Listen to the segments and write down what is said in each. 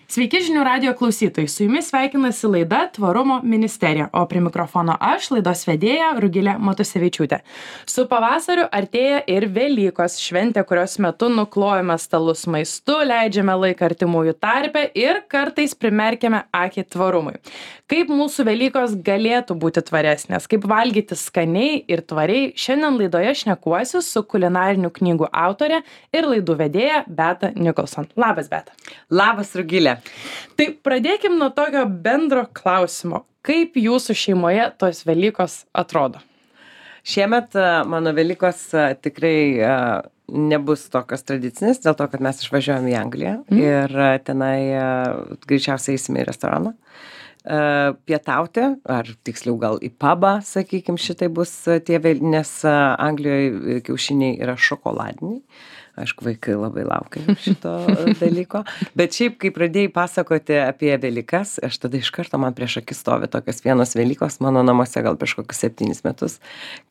Sveiki žinių radijo klausytojai, su jumis sveikinasi laida Tvarumo ministerija, o prie mikrofono aš, laidos vedėja Rugilė Matusevičiūtė. Su pavasariu artėja ir Velykos šventė, kurios metu nuklojame stalus maistu, leidžiame laiką artimųjų tarpe ir kartais primerkiame akį tvarumui. Kaip mūsų Velykos galėtų būti tvaresnės, kaip valgyti skaniai ir tvariai, šiandien laidoje šnekuosiu su kulinarinių knygų autorė ir laidų vedėja Beata Nicholson. Labas, Beata. Labas, Rugilė. Tai pradėkim nuo tokio bendro klausimo. Kaip jūsų šeimoje tos Velykos atrodo? Šiemet mano Velykos tikrai nebus tokios tradicinės, dėl to, kad mes išvažiuojam į Angliją ir tenai greičiausiai eisime į restoraną. Pietauti, ar tiksliau gal į pubą, sakykim, šitai bus tie, nes Anglijoje kiaušiniai yra šokoladiniai. Aišku, vaikai labai laukia šito dalyko. Bet šiaip, kai pradėjai pasakoti apie Velykas, aš tada iš karto man prieš akis stovi tokios vienos Velykos mano namuose gal prieš kokius 7 metus,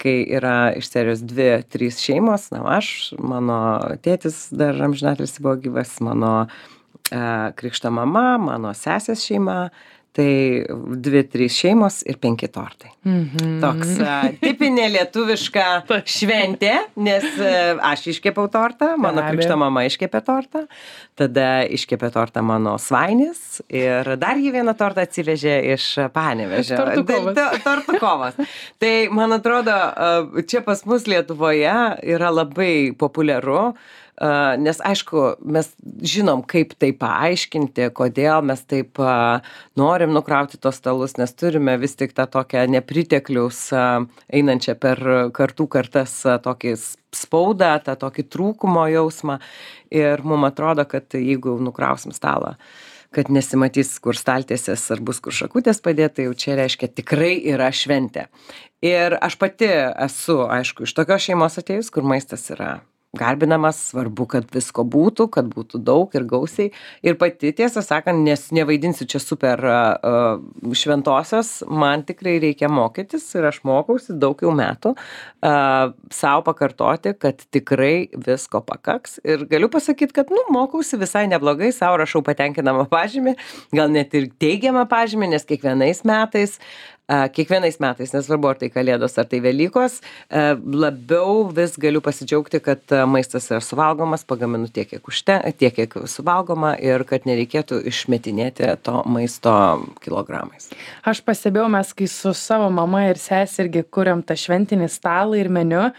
kai yra iš serijos 2-3 šeimos, aš, mano tėtis dar amžinatilsį buvo gyvas, mano krikšto mama, mano sesės šeima, tai 2-3 šeimos ir 5 tortai. Toks tipinė lietuviška šventė, nes aš iškepiau tortą, mano krikšto mama iškepė tortą, tada iškepė tortą mano svainis ir dar jį vieną tortą atsivežė iš Panevėžio. Tortų kovas. Tai, man atrodo, čia pas mus Lietuvoje yra labai populiaru, nes aišku, mes žinom, kaip tai paaiškinti, kodėl mes taip norim nukrauti tos stalus, nes turime vis tik tą tokią nepritekliaus einančią per kartų kartas tokį spaudą, tą tokį trūkumo jausmą ir mums atrodo, kad jeigu nukrausim stalą, kad nesimatys, kur staltiesės ar bus kur šakutės padėta, jau čia reiškia tikrai yra šventė. Ir aš pati esu, aišku, iš tokios šeimos atėjus, kur maistas yra garbinamas, svarbu, kad visko būtų, kad būtų daug ir gausiai. Ir pati, tiesą sakant, nes nevaidinsiu čia super šventosios, man tikrai reikia mokytis ir aš mokausi daug jau metų savo pakartoti, kad tikrai visko pakaks. Ir galiu pasakyti, kad mokausi visai neblogai, savo rašau patenkinamą pažymį, gal net ir teigiamą pažymį, nes kiekvienais metais, nesvarbu ar tai Kalėdos, ar tai Velykos, labiau vis galiu pasidžiaugti, kad maistas yra suvalgomas, pagaminu tiek, kiek suvalgoma ir kad nereikėtų išmetinėti to maisto kilogramais. Aš pastebėjau, mes kai su savo mama ir sesė irgi kuriam tą šventinį stalą ir meniu,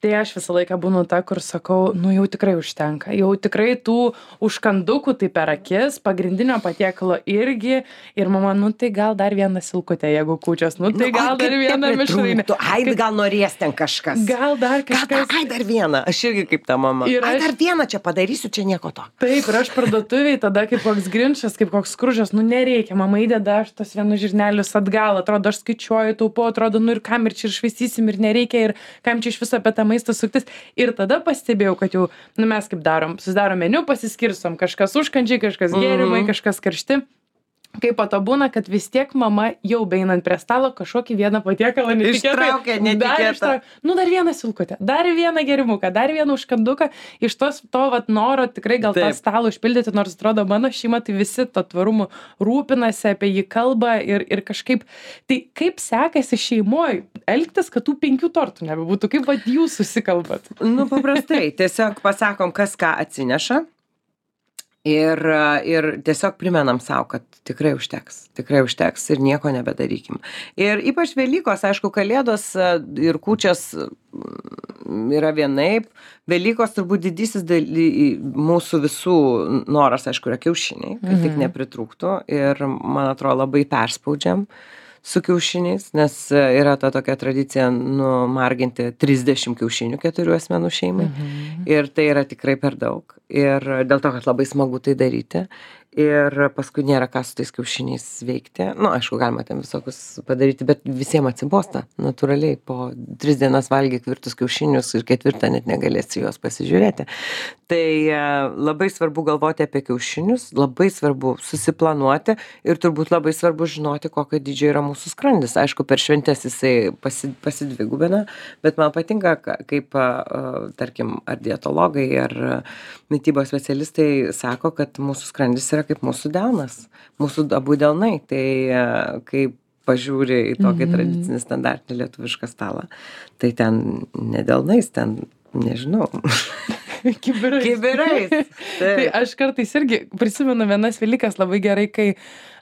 tai aš visą laiką būnu ta, kur sakau, jau tikrai užtenka, jau tikrai tų užkandukų tai per akis, pagrindinio patiekalo irgi, ir mama, tai gal dar vieną silkutę, jeigu kūčios, tai gal dar vieną mišrainę. Gal norės ten kažkas. Gal dar kažkas. Dar vieną, aš irgi kaip ta mama. Dar vieną čia padarysiu, čia nieko to. Taip, ir aš parduotuviai tada kaip koks grinčas, kaip koks skružas, nereikia, mama įdeda aš tos vienus žirnelius atgal, atrodo, aš skaičiuoju, taupau, atrodo, ir kam ir čia išvaistysim ir nereikia, ir kam čia iš viso apie tą maistą suktis. Ir tada pastebėjau, kad jau, mes kaip darom, susidarom meniu, pasiskirstom, kažkas užkandžiai, kažkas gėrimai, kažkas karšti. Kaip po to būna, kad vis tiek mama jau beinant prie stalo kažkokį vieną patiekalą ištraukia netikėtą. Dar vieną silkutę, dar vieną gėrimuką, dar vieną užkanduką. Iš to noro tikrai gal tą stalą užpildyti, nors atrodo mano šeima, tai visi to tvarumu rūpinasi, apie jį kalba ir kažkaip. Tai kaip sekasi šeimoje elgtis, kad tų 5 tortų nebebūtų? Kaip jūs susikalbat? Paprastai, tiesiog pasakom, kas ką atsineša. Ir tiesiog primenam savo, kad tikrai užteks ir nieko nebedarykim. Ir ypač Velykos, aišku, Kalėdos ir kūčios yra vienaip. Velykos turbūt didysis mūsų visų noras, aišku, yra kiaušiniai, kad tik nepritrūktų. Ir, man atrodo, labai perspaudžiam su kiaušiniais, nes yra ta tokia tradicija numarginti 30 kiaušinių 4 asmenų šeimai. Ir tai yra tikrai per daug. Ir dėl to, kad labai smagu tai daryti. Ir paskui nėra ką su tais kiaušiniais veikti. Aišku, galima ten visokius padaryti, bet visiems atsibosta. Natūraliai, po 3 dienas valgy kvirtus kiaušinius ir 4 net negalėsi juos pasižiūrėti. Tai labai svarbu galvoti apie kiaušinius, labai svarbu susiplanuoti ir turbūt labai svarbu žinoti, kokio dydžio yra mūsų skrandis. Aišku, per šventes jisai pasidvigubina, bet man patinka, kaip, tarkim, ar dietologai, ar mitybos specialistai sako, kad mūsų skrandis yra tokia kaip mūsų delnas, mūsų abu delnai. Tai kai pažiūri į tokį tradicinį standartinį lietuvišką stalą, tai ten ne delnais, ten, nežinau, kibirais. Tai aš kartais irgi prisimenu vienas Velykas labai gerai, kai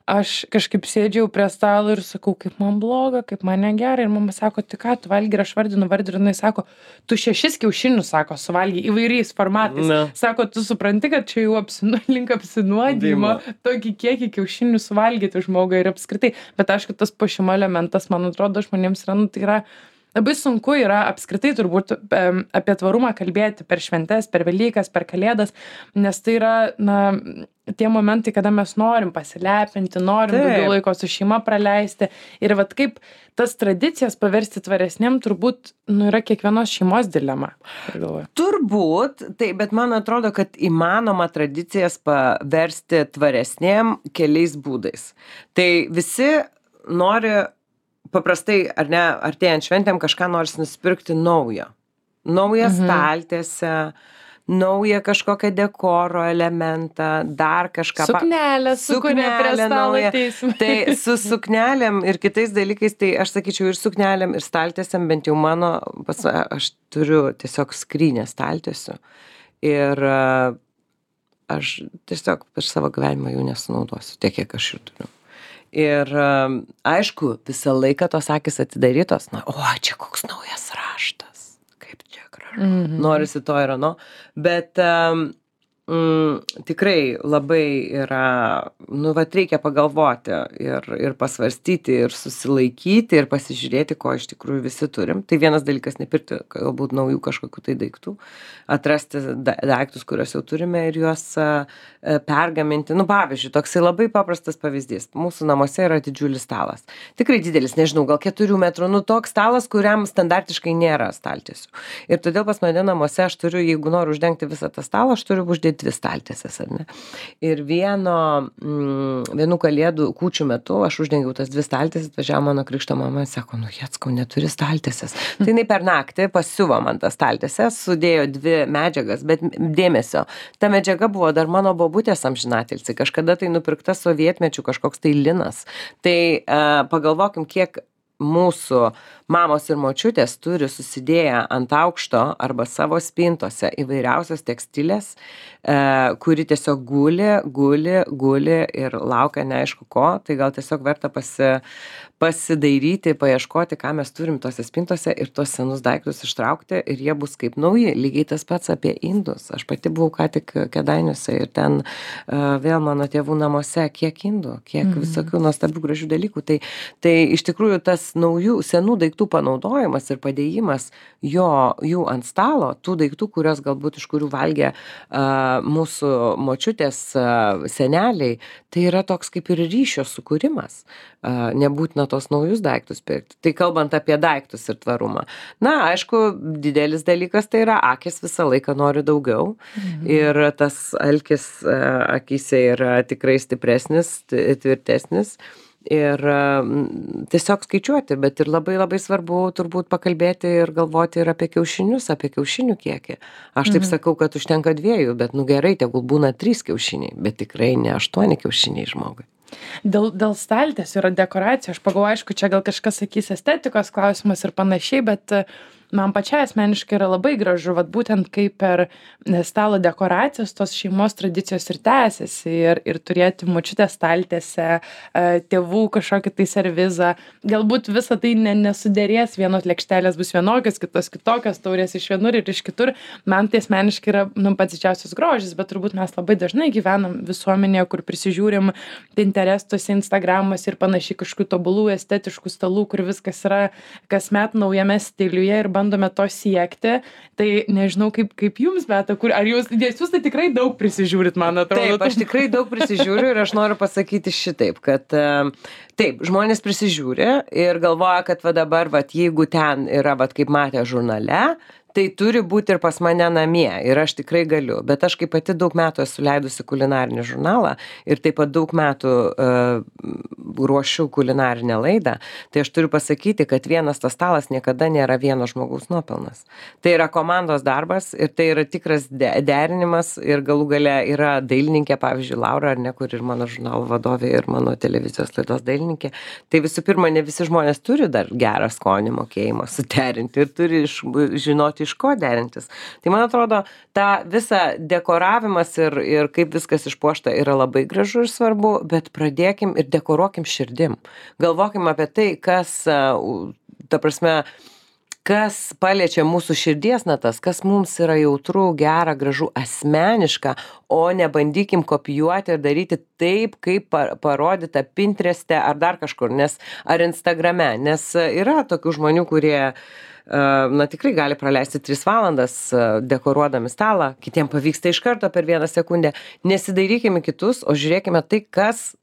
aš kažkaip sėdžiau prie stalo ir sakau, kaip man bloga, kaip man negerai. Ir mama sako, tai ką tu valgy, ir aš vardinu, jinai sako, tu 6 kiaušinius, sako, suvalgy įvairiais formatais. Sako, tu supranti, kad čia jau link apsinuodimo tokį kiekį kiaušinių suvalgyti žmogui ir apskritai. Bet aišku, tas puošimo elementas, man atrodo, žmonėms yra, tai yra labai sunku yra apskritai turbūt apie tvarumą kalbėti per šventes, per Velykas, per Kalėdas, nes tai yra, tie momentai, kada mes norim pasilepinti, norim daugiau laiko su šeima praleisti. Ir vat kaip tas tradicijas paversti tvaresnėm, turbūt, yra kiekvienos šeimos dilema. Turbūt, tai, bet man atrodo, kad įmanoma tradicijas paversti tvaresnėm keliais būdais. Tai visi nori paprastai, ar ne, artėjant šventėm kažką nors nusipirkti naujo. Naują staltiesę, naują kažkokią dekoro elementą, dar kažką. Suknelę, su kuria prie stalo ateisim. Tai su suknelėm ir kitais dalykais, tai aš sakyčiau ir suknelėm, ir staltiesėm, bent jau mano, aš turiu tiesiog skrynę staltiesių. Ir aš tiesiog per savo gyvenimą jų nesunaudosiu, tiek, kiek aš jų turiu. Ir aišku, visą laiką tos akys atidarytos, čia koks naujas raštas, kaip čia gražu, norisi to ir ano, bet tikrai labai yra, reikia pagalvoti ir pasvarstyti, ir susilaikyti, ir pasižiūrėti, ko iš tikrųjų visi turim. Tai vienas dalykas, nepirkti galbūt naujų kažkokių tai daiktų, atrasti daiktus, kuriuos jau turime ir juos pergaminti. Pavyzdžiui, toksai labai paprastas pavyzdys. Mūsų namuose yra didžiulis stalas. Tikrai didelis, nežinau, gal 4 metrų, toks stalas, kuriam standartiškai nėra staltiesių. Ir todėl pas mane namuose aš turiu, jeigu noriu uždengti visą tą stalą, aš turiu uždėti 2 staltiesės, ar ne? Ir vienų kalėdų kūčių metu aš uždengiau tas 2 staltiesės, atvažiavo mano krikšto mama ir sako, Jeckau, neturi staltiesės. Tai jinai per naktį pasiuvo man tas staltiesės, sudėjo 2 medžiagas, bet dėmesio, ta medžiaga buvo dar mano bobutės amžinatilsį, kažkada tai nupirkta sovietmečių kažkoks tai linas. Tai pagalvokim, kiek mūsų mamos ir močiutės turi susidėję ant aukšto arba savo spintose įvairiausios tekstilės, kuri tiesiog guli ir laukia neaišku ko, tai gal tiesiog verta pasidairyti, paieškoti, ką mes turim tose spintose ir tuos senus daiktus ištraukti ir jie bus kaip nauji. Lygiai tas pats apie indus. Aš pati buvau ką tik Kėdainiuose ir ten vėl mano tėvų namuose, kiek indų, kiek visokių nuostabių gražių dalykų. Tai iš tikrųjų tas senų daiktų panaudojimas ir padėjimas jų ant stalo, tų daiktų, iš kurių valgė mūsų močiutės seneliai, tai yra toks kaip ir ryšio sukūrimas. Nebūtina tos naujus daiktus pirkti. Tai kalbant apie daiktus ir tvarumą. Aišku, didelis dalykas tai yra akis visą laiką nori daugiau ir tas alkis akyse yra tikrai stipresnis, tvirtesnis. Ir tiesiog skaičiuoti, bet ir labai labai svarbu turbūt pakalbėti ir galvoti ir apie kiaušinius, apie kiaušinių kiekį. Aš taip sakau, kad užtenka 2, bet gerai, tegul būna 3 kiaušiniai, bet tikrai ne 8 kiaušiniai žmogui. Dėl staltiesių ir dekoracijų, aš pagalvoju, aišku, čia gal kažkas sakys estetikos klausimas ir panašiai, bet man pačiai asmeniškai yra labai gražu, būtent kaip per stalo dekoracijas tos šeimos tradicijos ir tęsiasi ir turėti močiutės staltiesę, tėvų kažkokį tai servizą. Galbūt visą tai nesuderės, vienos lėkštelės bus vienokios, kitos kitokios, taurės iš vienur ir iš kitur. Man tai asmeniškai yra pats didžiausias grožis, bet turbūt mes labai dažnai gyvenam visuomenėje, kur prisižiūrim Pinterestuose, Instagramuose ir panašiai kažkokių tobulų estetiškų stalų, kur viskas yra kasmet naujame stiliuje ir bandome to siekti. Tai nežinau, kaip jums, Beata, ar jūs tai tikrai daug prisižiūrit, man atrodo. Taip, aš tikrai daug prisižiūriu ir aš noriu pasakyti šitaip, kad taip, žmonės prisižiūri ir galvoja, kad dabar, jeigu ten yra, kaip matė žurnale, tai turi būti ir pas mane namie ir aš tikrai galiu. Bet aš kaip pati daug metų esu leidusi kulinarinį žurnalą ir taip pat daug metų ruošiu kulinarinę laidą, tai aš turiu pasakyti, kad vienas tas stalas niekada nėra vieno žmogaus nuopelnas. Tai yra komandos darbas ir tai yra tikras derinimas ir galų gale yra dailininkė, pavyzdžiui, Laura, ar ne, kur ir mano žurnalo vadovė ir mano televizijos laidos dailininkė. Tai visų pirma, ne visi žmonės turi dar gerą skonį mokėjimą suderinti ir turi žinoti, iš ko derintis. Tai man atrodo, ta visa dekoravimas ir kaip viskas išpuošta yra labai gražu ir svarbu, bet pradėkim ir dekoruokim širdim. Galvokim apie tai, kas, ta prasme, kas paliečia mūsų širdies natas, kas mums yra jautru, gera, gražu, asmeniška, o nebandykim kopijuoti ir daryti taip, kaip parodyta Pintereste ar dar kažkur, ar Instagrame, nes yra tokių žmonių, kurie tikrai gali praleisti 3 valandas dekoruodami stalą, kitiem pavyksta iš karto per 1 sekundę. Nesidairykime kitus, o žiūrėkime tai, kas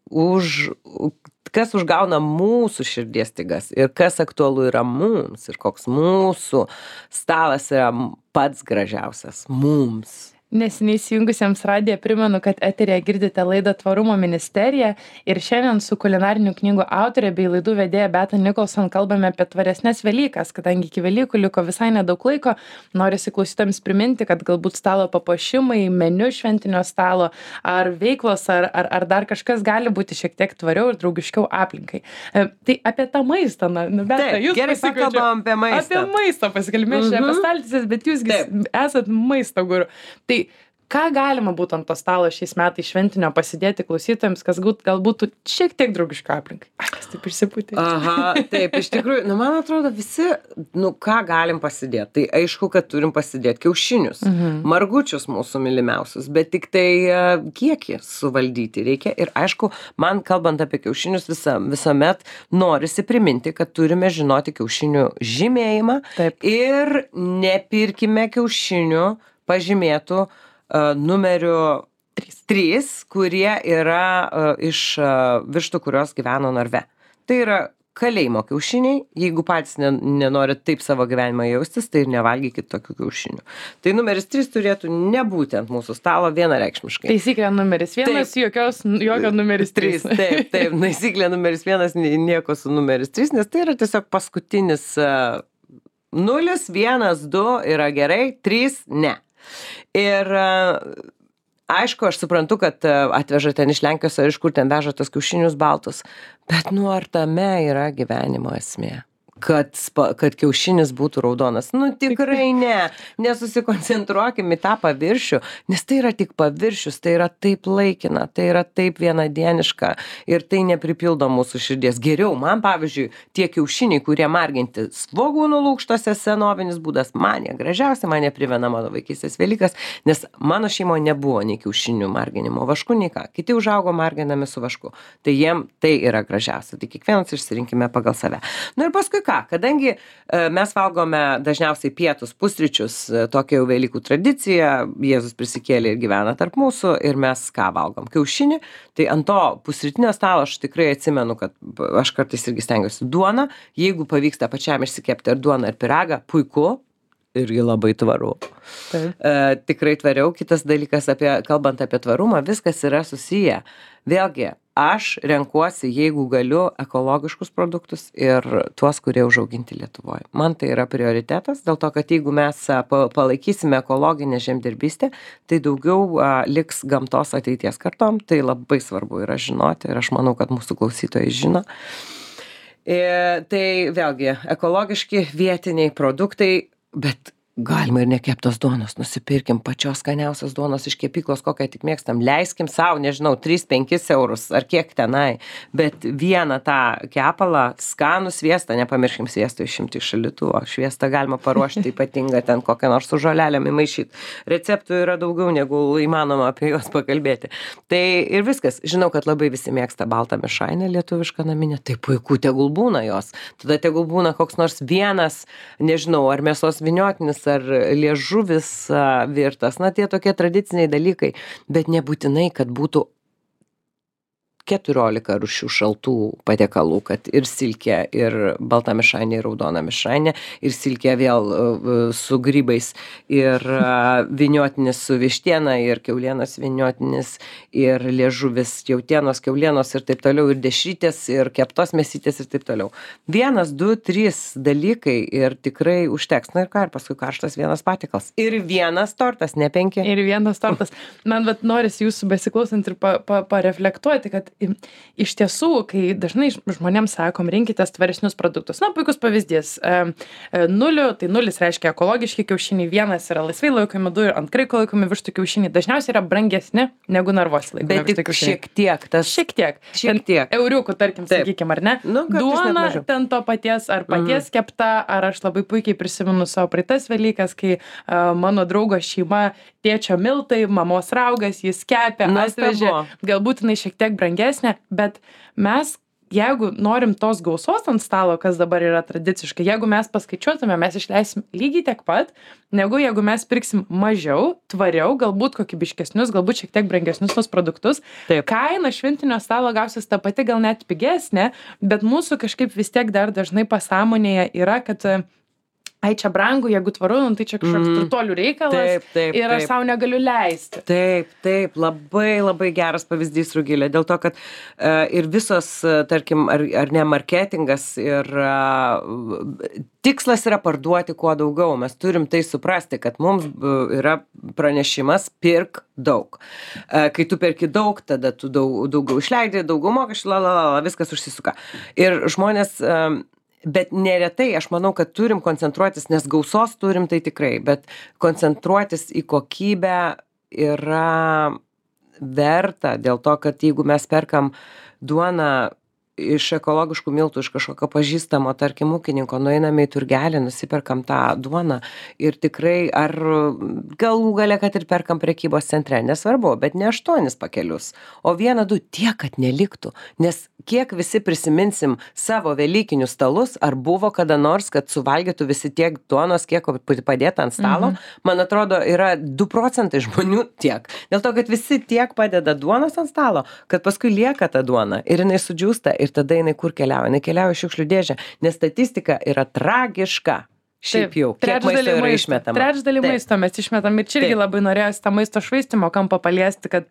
užgauna mūsų širdies stygas ir kas aktualu yra mums ir koks mūsų stalas yra pats gražiausias mums. Neseniai įsijungusiems radiją primenu, kad eteryje girdite laidą Tvarumo ministerija ir šiandien su kulinarinių knygų autorė bei laidų vedėja Beata Nicholson kalbame apie tvaresnes Velykas, kadangi iki Velykų liko visai nedaug laiko. Norisi klausytojams priminti, kad galbūt stalo papuošimai, meniu šventinio stalo ar veiklos ar dar kažkas gali būti šiek tiek tvariau ir draugiškiau aplinkai. Tai apie tą maistą, Beata, jūs gerai pakalbam apie maistą. Apie maistą pasikalbėjome apie staltises, bet jūs esat maisto guru. Tai ką galima būtų ant to stalo šiais metais šventinio pasidėti klausytojams, kas galbūt šiek tiek draugiško aplinkai? Kas taip išsipūtė? Aha, taip, iš tikrųjų, man atrodo visi, ką galim pasidėti. Tai aišku, kad turim pasidėti kiaušinius, margučius mūsų mylimiausius, bet tik tai kiekį suvaldyti reikia. Ir aišku, man kalbant apie kiaušinius visuomet norisi priminti, kad turime žinoti kiaušinių žymėjimą. Taip. Ir nepirkime kiaušinių pažymėtų numeriu 3, kurie yra iš vištų, kurios gyveno narve. Tai yra kalėjimo kiaušiniai. Jeigu patys nenorit taip savo gyvenimą jaustis, tai ir nevalgykit tokių kiaušinių. Tai numeris 3 turėtų nebūti ant mūsų stalo vienareikšmiškai. Taisyklė numeris 1, jokio numeris 3. Taip, taisyklė numeris 1, nieko su numeris 3, nes tai yra tiesiog paskutinis 0, 1, 2 yra gerai, 3 ne. Ir aišku, aš suprantu, kad atveža ten iš Lenkijos ar iš kur ten veža tos kiaušinius baltus, bet ar tame yra gyvenimo esmė? Kad kiaušinis būtų raudonas. Tikrai ne. Nesusikoncentruokim į tą paviršių, nes tai yra tik paviršius, tai yra taip laikina, tai yra taip vienadieniška ir tai nepripildo mūsų širdies. Geriau, man pavyzdžiui, tie kiaušiniai, kurie marginti svogūnų lukštose, senovinis būdas, man jie gražiausia, man jie primena mano vaikystės Velykas, nes mano šeimoje nebuvo nei kiaušinių marginimo vašku, nei ką. Kiti užaugo marginami su vašku. Tai jiem tai yra gražiausia. Tai kiekvienas išsirinkime pagal save. Ir paskui kadangi mes valgome dažniausiai pietus, pusryčius, tokia jau Velykų tradicija, Jėzus prisikėlė ir gyvena tarp mūsų ir mes ką valgom? Kiaušinį, tai ant to pusrytinio stalo aš tikrai atsimenu, kad aš kartais irgi stengiuosi duoną, jeigu pavyksta pačiam išsikepti ar duoną ar pyragą, puiku, irgi labai tvaru. Tikrai tvariau. Kitas dalykas, kalbant apie tvarumą, viskas yra susiję. Vėlgi, aš renkuosi, jeigu galiu, ekologiškus produktus ir tuos, kurie užauginti Lietuvoje. Man tai yra prioritetas, dėl to, kad jeigu mes palaikysime ekologinę žemdirbystę, tai daugiau liks gamtos ateities kartom. Tai labai svarbu yra žinoti ir aš manau, kad mūsų klausytojai žino. Tai vėlgi, ekologiški vietiniai produktai, bet galima ir nekeptos duonos, nusipirkim pačios skaniausios duonos iš kepyklos, kokią tik mėgstam, leiskim savo, nežinau, 3-5 eurus ar kiek tenai, bet vieną tą kepalą, skanų sviestą, nepamirškim sviesto išimti iš šaldytuvo, šviestą galima paruošti ypatingą ten kokią nors su žolelėm įmaišyti. Receptų yra daugiau, negu įmanoma apie juos pakalbėti. Tai ir viskas. Žinau, kad labai visi mėgsta baltą mišrainę lietuvišką naminę, tai puiku, tegul būna jos. Tada tegul būna koks nors vienas, nežinau, ar mėsos vyniotinis, ar liežuvis virtas, tie tokie tradiciniai dalykai, bet nebūtinai, kad būtų 14 rūšių šaltų patiekalų, kad ir silkė, ir balta mišrainė, ir raudona mišrainė, ir silkė vėl su grybais, ir vyniotinis su vištiena, ir kiaulienos vyniotinis, ir liežuvis jautienos, kiaulienos ir taip toliau, ir dešrytės, ir keptos mėsytės ir taip toliau. 1, 2, 3 dalykai ir tikrai užteks. Na ir ką, ir paskui karštas vienas patiekalas. Ir vienas tortas, ne 5. Ir vienas tortas. Man norisi jūsų besiklausant ir pareflektuoti, kad iš tiesų, kai dažnai žmonėms sakom, rinkitės tvaresnius produktus. Na, puikus pavyzdys. 0, tai 0 reiškia ekologiški kiaušiniai, 1 yra laisvai laikomi, 2 ant kraiko laikomi vištų kiaušiniai. Dažniausiai yra brangesni negu narvuose laikomi. Bet tik šiek tiek. Šiek tiek. Euriukų, tarkim, sakykime, ar ne? Nu, duona ten to paties, ar paties kepta, ar aš labai puikiai prisimenu savo praeitas Velykas, kai mano draugo šeima, tėčio miltai, mamos raugas, jis kepė, atvežė. Galbūt jinai šiek tiek brangesnė, bet mes, jeigu norim tos gausos ant stalo, kas dabar yra tradiciškai, jeigu mes paskaičiuotume, mes išleisim lygiai tiek pat, negu jeigu mes pirksim mažiau, tvariau, galbūt kokybiškesnius, galbūt šiek tiek brangesnius tos produktus. Taip. Kaina šventinio stalo gausis ta pati, gal net pigesnė, bet mūsų kažkaip vis tiek dar dažnai pasąmonėje yra, kad ai čia brangu, jeigu tvaru, tai čia kažkoks turtuolių reikalas ir aš savo negaliu leisti. Taip, labai geras pavyzdys, Rugilė, dėl to, kad ir visos, tarkim, ar ne marketingas ir tikslas yra parduoti kuo daugiau. Mes turim tai suprasti, kad mums yra pranešimas pirk daug. Kai tu perki daug, tada tu daugiau išleidi, daugiau mokesčių, viskas užsisuka. Ir žmonės bet neretai, aš manau, kad turim koncentruotis, nes gausos turim tai tikrai, bet koncentruotis į kokybę yra verta, dėl to, kad jeigu mes perkam duoną iš ekologiškų miltų, iš kažkokio pažįstamo, tarkim, ūkininko, nueiname į turgelį, nusiperkam tą duoną ir tikrai, ar galų gale, kad ir perkam prekybos centre, nesvarbu, bet ne 8 pakelius, o 1, 2, tiek, kad neliktų, nes kiek visi prisiminsim savo velykinius stalus, ar buvo kada nors, kad suvalgytų visi tiek duonos, kiek padėta ant stalo, man atrodo, yra 2% žmonių tiek. Dėl to, kad visi tiek padeda duonos ant stalo, kad paskui lieka ta duona ir jinai sudžiūsta ir tada jinai kur keliauja? Jinai keliauja į šiukšlių dėžę, nes statistika yra tragiška. Šiaip jau, kiek maisto yra išmetama. Trečdalį maisto mes išmetam ir čia irgi labai norėjosi tą maisto švaistimo kampą paliesti, kad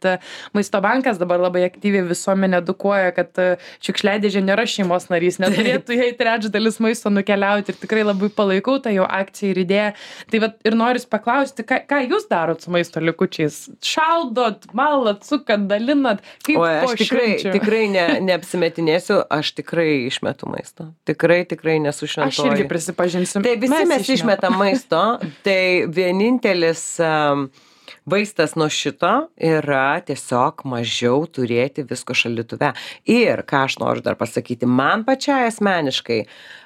maisto bankas dabar labai aktyviai visuomenę edukuoja, kad šiukšliadėžė nėra šeimos narys, neturėtų jai trečdalis maisto nukeliauti ir tikrai labai palaikau tą jo akciją ir idėją. Tai vat ir noriu paklausti, ką jūs darot su maisto likučiais? Šaldot, malat, sukat, dalinat? Kaip aš tikrai neapsimetinėsiu, aš tikrai išmetu maisto. Tikrai nesušventoju. Aš irgi prisipažinsiu. Tai visi mes išmetam maisto, tai vienintelis vaistas nuo šito yra tiesiog mažiau turėti visko šaldytuve. Ir ką aš noriu dar pasakyti, man pačiai asmeniškai,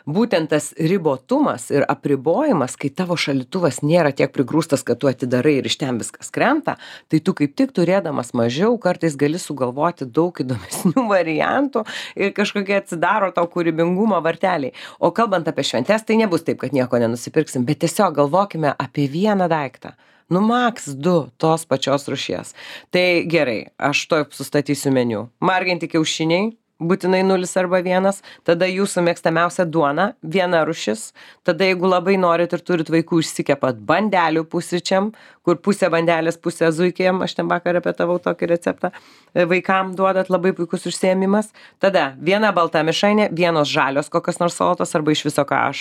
būtent tas ribotumas ir apribojimas, kai tavo šaldytuvas nėra tiek prigrūstas, kad tu atidarai ir iš ten viskas krenta, tai tu kaip tik turėdamas mažiau, kartais gali sugalvoti daug įdomesnių variantų ir kažkokie atsidaro tau kūrybingumo varteliai. O kalbant apie šventes, tai nebus taip, kad nieko nenusipirksim, bet tiesiog galvokime apie vieną daiktą. Nu, maks 2 tos pačios rūšies. Tai gerai, aš to sustatysiu meniu. Marginti kiaušiniai, būtinai 0 arba 1, tada jūsų mėgstamiausia duona, 1 rūšis, tada jeigu labai norit ir turit vaikų, išsikepat bandelių pusryčiam, kur pusė bandelės, pusė zuikėm, aš ten vakar repetavau tokį receptą, vaikam duodat, labai puikus užsiėmimas, tada 1 balta mišrainė, 1 žalios kokios nors salotos, arba iš viso, ką aš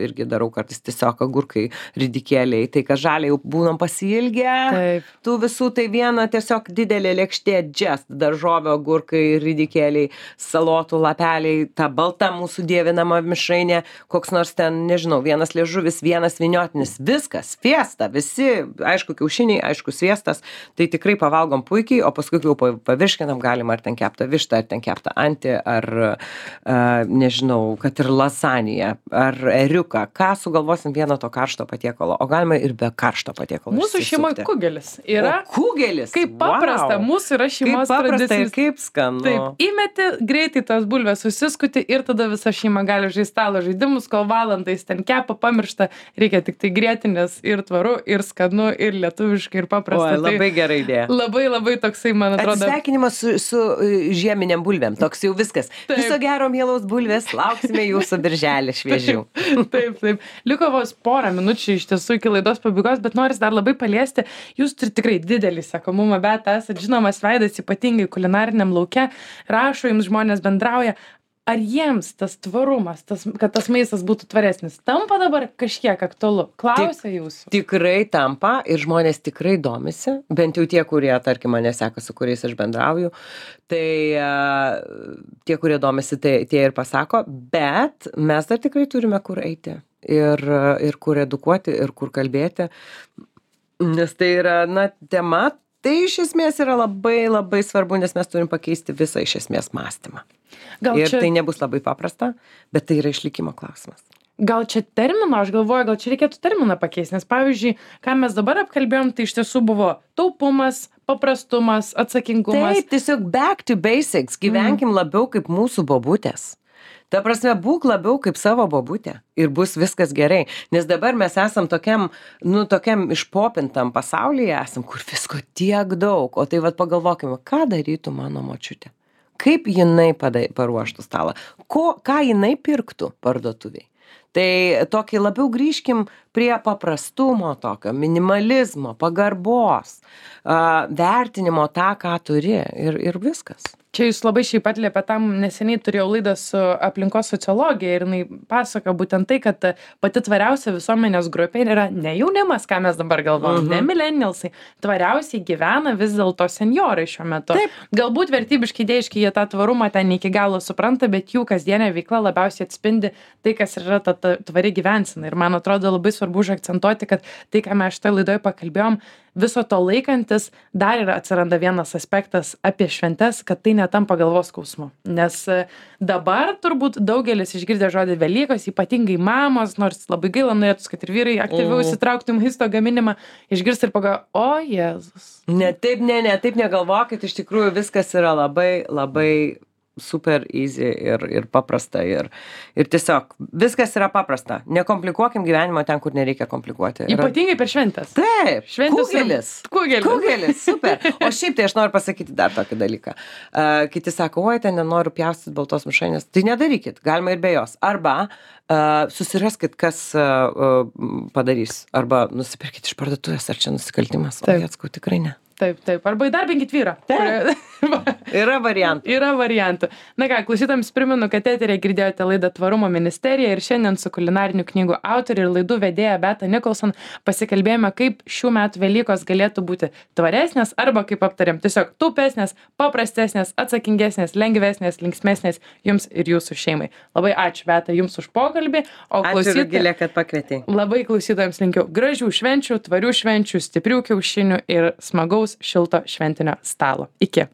irgi darau kartais tiesiog agurkai, ridikėliai, tai kad žaliai jau būnam pasiilgę, tų visų, tai 1 tiesiog didelė lėkštė just, daržovio, agurkai, ridikėliai, salotų lapeliai, ta balta mūsų dievinama mišrainė, koks nors ten, nežinau, 1 liežuvis, 1 vyniotinis, viskas, fiesta, visi, aišku, kiaušiniai, aišku, sviestas, tai tikrai pavalgom puikiai, o paskui jau pavirškinam galima ar ten keptą vištą, ar ten keptą antį, ar nežinau, kad ir lasaniją, ar eriuką, ką sugalvosim vieno to karšto patiekalo, o galima ir be karšto patiekalo. Mūsų šeimoje kugelis yra. Kugelis? Kaip paprasta, mūsų yra šeimos tradicija. Ir kaip skanu. Taip, įmeti, greitai tos bulvės susiskuti ir tada visa šeima gali žaisti stalo žaidimus, kol valandais ten kepa, pamiršta, reikia tik tai grėtinės ir tvaru, ir skanu, ir lietuviškai, ir paprasta. O, labai gera idėja. Labai, labai toksai, man atrodo. Atsisveikinimas su žieminiam bulvėm, toks jau viskas. Taip. Viso gero, mielos bulvės, lauksime jūsų birželį šviežių. Taip. Liko vos porą minučių iš tiesų iki laidos pabaigos, bet noris dar labai paliesti. Jūs turite tikrai didelį sekamumą, bet esate žinomas veidas, ypatingai kulinariniam lauke, rašo jums žmonės, bendrauja. Ar jiems tas tvarumas, kad tas maistas būtų tvaresnis, tampa dabar kažkiek aktualu? Klausia jūsų. Tikrai tampa ir žmonės tikrai domisi, bent jau tie, kurie, tarkim, mane seka, su kuriais aš bendrauju, tai tie, kurie domisi, tai tie ir pasako, bet mes dar tikrai turime kur eiti ir kur edukuoti, ir kur kalbėti, nes tai yra, tema. Tai iš esmės yra labai, labai svarbu, nes mes turim pakeisti visą iš esmės mąstymą. Tai nebus labai paprasta, bet tai yra išlikimo klausimas. Gal čia termino, aš galvoju, gal čia reikėtų terminą pakeisti, nes pavyzdžiui, ką mes dabar apkalbėjom, tai iš tiesų buvo taupumas, paprastumas, atsakingumas. Taip, tiesiog back to basics, gyvenkim labiau kaip mūsų bobutės. Ta prasme, būk labiau kaip savo bobutė ir bus viskas gerai. Nes dabar mes esam tokiam išpopintam pasaulyje esam, kur visko tiek daug. O tai pagalvokime, ką darytų mano močiutė. Kaip jinai paruoštų stalą. Ką jinai pirktų parduotuviai. Tai tokį labiau grįžkim prie paprastumo tokio, minimalizmo, pagarbos, vertinimo tą, ką turi ir viskas. Čia jūs labai šiaip atliepė tam, neseniai turėjau laidą su aplinkos sociologija ir jinai pasako būtent tai, kad pati tvariausia visuomenės grupė yra ne jaunimas, ką mes dabar galvojam, ne millennialsai, tvariausiai gyvena vis dėlto senjorai šiuo metu. Taip. Galbūt vertybiškai, idėjiškai jie tą tvarumą ten iki galo supranta, bet jų kasdienė veikla labiausiai atspindi tai, kas yra ta tvari gyvensena. Ir man atrodo labai svarbu užakcentuoti, kad tai, ką mes šitoje laidoje pakalbėjom, viso to laikantis, dar yra atsiranda vienas aspektas apie šventes, kad tai netampa galvos skausmu. Nes dabar turbūt daugelis išgirdę žodį Velykos, ypatingai mamos, nors labai gaila norėtų, kad ir vyrai aktyviau įsitrauktų į maisto gaminimą, išgirsti ir pagalvoja, o Jėzus. Taip negalvokit, iš tikrųjų viskas yra labai, labai super easy ir paprasta ir tiesiog viskas yra paprasta. Nekomplikuokim gyvenimo ten, kur nereikia komplikuoti. Ypatingai per šventes. Taip, Šventės kugelis, super. O šiaip tai aš noriu pasakyti dar tokį dalyką. Kiti sako, oi, ten nenoriu pjaustyti baltos mišrainės. Tai nedarykit, galima ir be jos. Arba susiraskit, kas padarys. Arba nusipirkit iš parduotuvės, ar čia nusikaltimas. O atskau, tikrai ne. Taip. Arba įdarbinkit vyrą. Yra variantų. Na ką, klausytams primenu, kad eteryje girdėjote laidą Tvarumo ministerija ir šiandien su kulinarinių knygų autorė ir laidų vedėja Beata Nicholson pasikalbėjome, kaip šių metų Velykos galėtų būti tvaresnės arba, kaip aptarėm, tiesiog taupesnės, paprastesnės, atsakingesnės, lengvesnės, linksmesnės jums ir jūsų šeimai. Labai ačiū, Beata, jums už pokalbį. Ačiū, Rugilė, kad pakvietei. Labai klausytojams linkiu gražių švenčių, tvarių švenčių, stiprių kiaušinių ir smagaus šilto šventinio stalo. Iki.